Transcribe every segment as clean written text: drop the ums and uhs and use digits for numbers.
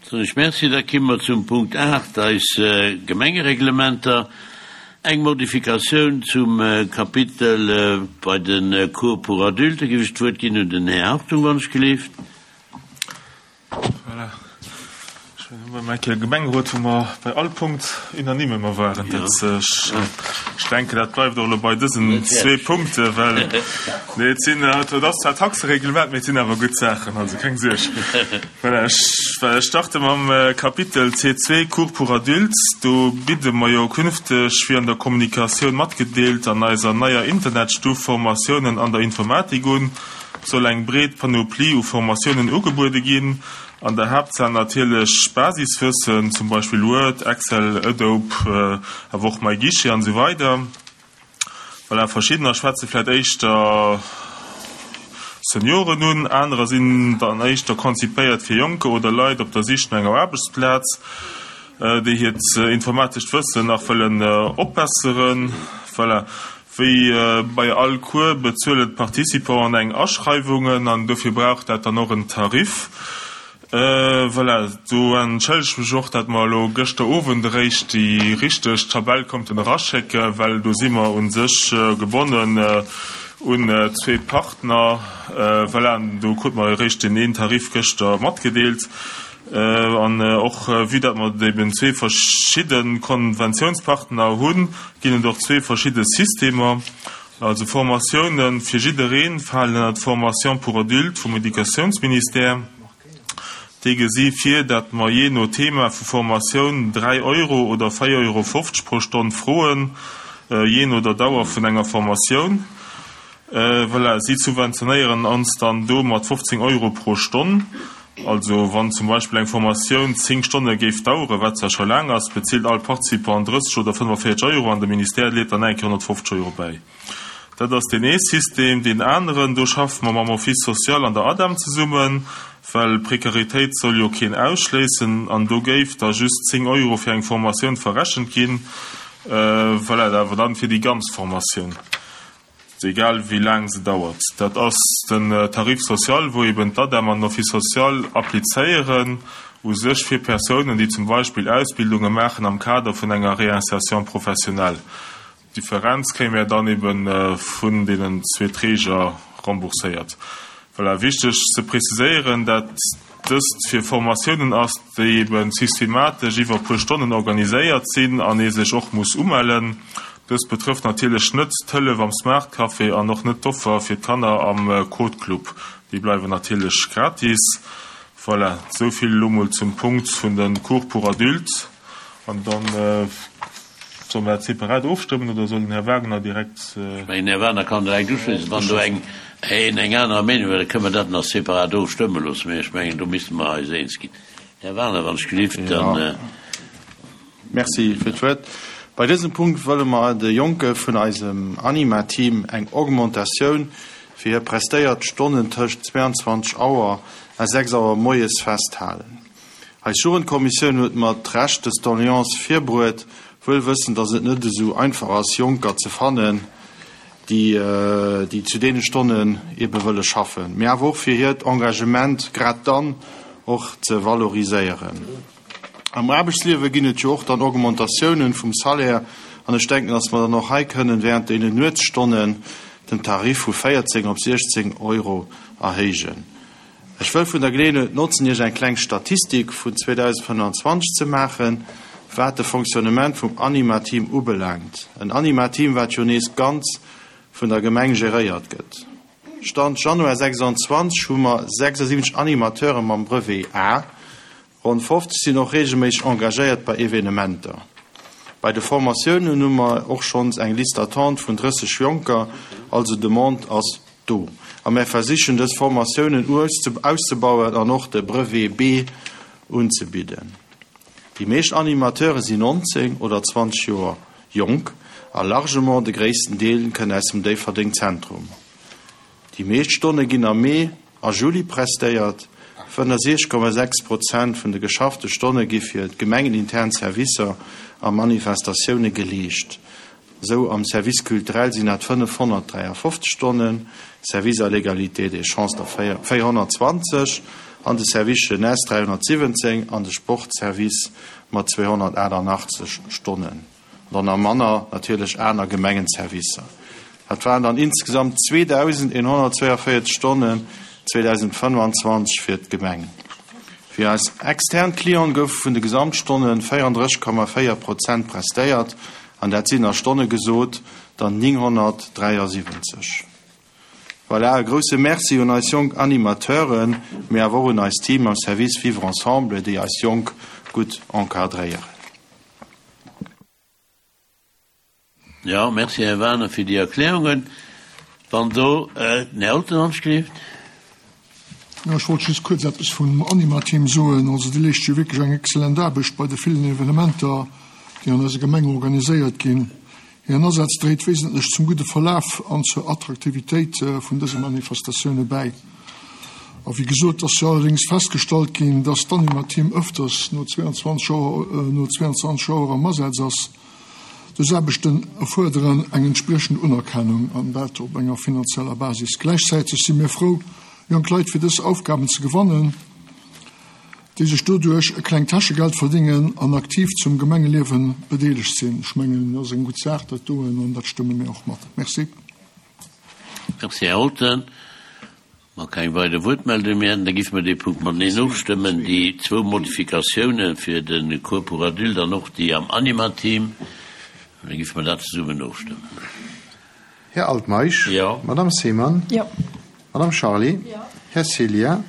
Soen ech Merci. Da kimme mer zum Punkt 8, eis Gemengereglementer. Eng Modifikatioun zum Kapitel bei de Cours pour adultes. Géif ech d'Wuert ginn un den Här Hartung, wann ech gelift. Voilà. Ech hunn ëmmer eng Kéier Gemengerot, wou mer bei all Punkt unanime ëmmer waren. Dat, ech denken, dat bleift och elo bei dësen zwee Punkte, well, nee, et sinn, et ass zwar Taxereglement, mee et sinn awer gutt Saachen, also keng Suerg. Voilà, ech, well ech starte mam Kapitel C2, Cours pour adultes. Do bidde mer jo künfteg, wéi an der Kommunikatioun matgedeelt, an eiser neier Internetstuf Formatiounen an der Informatik un. Soll eng breet Panoplie u Formatiounen ugebuede ginn, an der Haaptsaach natierlech Basiswëssen, zum Beispill Word, Excel, Adobe, awer och MyGuichet an esou weider. Voilà, verschiddener schwätze vläit éischter Senioren un, anerer sinn dann éischter konzipéiert fir Jonker oder Leit op der Sich no enger Aarbechtsplaz, déi hiert informatescht Wëssen nach wëllen opbesseren. Voilà. Wéi bei all Cours bezuelen d'Participanten eng Aschreiwungen an dofir brauch dat dann och en Tarif. Voilà, do entschëllege ech mech och, dat mer elo gëschter Owend eréischt déi richteg Tabell konnten eraschécken, well do si mer u sech gebonnen un zwee Partner. Voilà, an do krute mer eréischt deen een Tarif gëschter matgedeelt. An och vue dat mer eben zwee verschidde Konventiounspartner hunn, ginn et och zwee verschidde Systemer. Also Formatioune fir jidderee falen ënner d'Formation pour adultes vum Educatiounsministère. Déi gesi vir, dat mer jee no Thema vu Formatioun 3 Euro oder 4,50 Euro pro Stonn froen, jee no der Dauer vun enger Formatioun. Voilà, si subventionéieren ons dann do mat 15 Euro pro Stonn. Also wann zum Beispill eng Formatioun 10 Stonne géif daueren, wat zwar scho laang ass, bezilt all Participant 30 oder 45 Euro an de Ministère leet dann eng Kéier 150 Euro bäi. Dat ass deen ee System. Deen aneren, do schaffe mer mam Office social an der ADEM zesummen, well Prekaritéit soll jo keen ausschléissen an do géif da just 10 Euro fir eng Formatioun verrechent ginn, voilà, awer dann fir déi ganz Formatioun. Egal wéi laang se dauert. Dat ass den Tarif social, wou eben d'ADEM an den Office social applizéieren u sech fir Persounen, déi zum Beispill Ausbildunge maachen am Kader vun enger Réinsertion professionnelle. D'Differenz kréie mir dann ebe vun deenen zwee Träger rembourséiert. Voilà, wichteg ze preziséieren, dat dëst fir Formatiounen ass, déi ebe systematesch iwwer e puer Stonnen organiséiert sinn an ee sech och muss umellen. Dëst betrëfft natierlech net d'Hëllef am Smart Café an och net d'Offer fir d'Kanner am Code Club, déi bleiwen natierlech gratis. Voilà, esou vill elo mol zum Punkt vun de Cours pour adultes. An dann solle mer dat separat ofstëmmen oder soll den Här Wagner direkt. Ech mengen, den Här Wagner kann direkt uschléissen. Wann do eng een eng aner Meenung huet, da kënne mer dat nach separat ofstëmme loossen. Mä ech mengen, do misste mer eis eens ginn. Här Wagner, wann ech gelift, dann. Merci fir d'Wuert. Bei dësem Punkt wëlle mer de Jonke vun eisem Anima-Team eng Augmentatioun fir hir prestéiert Stonnen tëscht 22 Auer a 6 Auer moies festhalen. Eis Jugendkommissioun huet mat Recht dës Doléance virbruet, wuel wëssend, dass et net esou einfach ass, Jonker ze fannen, déi, déi zu deene Stonnen ebe wëlle schaffen, mee awer och fir hiert Engagement grad dann och ze valoriséieren. Am Aarbechtsliewe ginn et jo och dann Augmentatiounen vum Salaire an ech denken, dass mer dann och hei kënnen während deenen Nuetsstonnen den Tarif vu 14 op 16 Euro erhéijen. Ech wëll vun der Geleeënheet notzen, Iech eng kleng Statistik vun 2025 ze maachen, wat de Fonctionnement vum Anima-Team ubelaangt. En Anima-Team, wat jo nees ganz vun der Gemeng geréiert gëtt. Stand Januar 26 hu mer 76 Animateure mam Brevet A. Ronn 50 sinn och reegelméisseg engagéiert bei Evenementer. Bei de Formatiounen hu mer och schonns eng Liste d'attente vun 30 Jonker, also Demande ass do. A mär versichen dës Formatiounen auszebauen an och de Brevet B unzebidden. Déi meescht Animateure sinn 19 oder 20 Joer jonk a largement de gréissten Deel kënnt aus dem Déifferdeng Zentrum. Déi meescht Stonne ginn am Mee a Juli prestéiert. 65,6 Prozent vun de geschaffte Stonne gi fir gemengenintern Servicer a Manifestatioune geleescht. Esou am Service culturel sinn dat 553 Stonnen, Service à l'égalité des chances der 420 an de Service jeunesse 317 an de Sportservice mat 288 Stonnen. An dann nach manner natierlech aner Gemengenservicer. Dat waren dann insgesamt 2.142 Stonnen 2025 fir d'Gemeng. Fir eis extern Clienten goufe vun de Gesamtstonne 34,4 Prozent prestéiert, an dat sinn a Stonne gesot dann 973. Voilà, e grousse Merci un eis jonk Animateuren, mee awer och un eist Team am Service Vivre Ensemble, déi eis Jonk gutt encadréieren. Jo, merci Här Wagener fir déi Erklärungen. Wann do den Här Olten anschrift. Jo, ech wollt just kuerz eppes vum Anima-Team soen. Also déi leescht jo wierklech eng excellent Aarbecht bei de villen Evenementer, déi an eiser Gemeng organiséiert ginn. Hiren Asaz dréit wesentlech zum gudde Verlaf an zur Attraktivitéit vun dëse Manifestatioune bäi. A wéi gesot, ass jo allerdéngs festgestallt ginn, dass d'Anima-Team ëfters no 22 Auer, no 22 Auer am Asaz ass. Dës Aarbechten erfuerderen eng entspriechend Unerkennung, an dat op enger finanzieller Basis. Gläichzäiteg si mir frou, jonk Leit fir dës Aufgaben ze gewannen, déi sech doduerch e klengt Täschegeld verdingen an aktiv zum Gemengeliewe bedeelegt sinn. Ech mengen, dat ass eng gutt Saach, dat doen, an dat stëmme mir och mat. Merci. Merci, Här Holten. Wa keng weider Wuertmeldung méi hätten, da géife mer dee Punkt mateneen ofstëmmen, déi zwou Modifikatiounen fir de Cours pour adultes an och déi am Anima-Team. Da géife mer dat zesummen ofstëmmen. Här Altmeisch? Jo. Madame Seemann? Jo. Madame Charlé? Jo. Här Ceglia?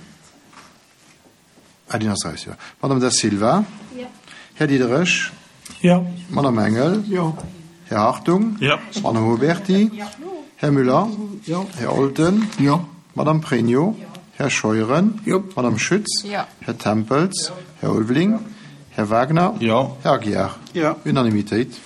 Ah, deen ass raus, jo. Madame Da Silva? Jo. Här Diderich? Jo. Madame Engel? Jo. Här Hartung? Jo. Madame Huberty? Jo. Här Müller? Jo. Här Olten? Jo. Madame Pregno? Jo. Här Scheuren? Jo. Madame Schütz? Jo. Här Tempels? Här Ulveling? Här Wagner? Jo. Här Aguiar? Jo. Unanimitéit.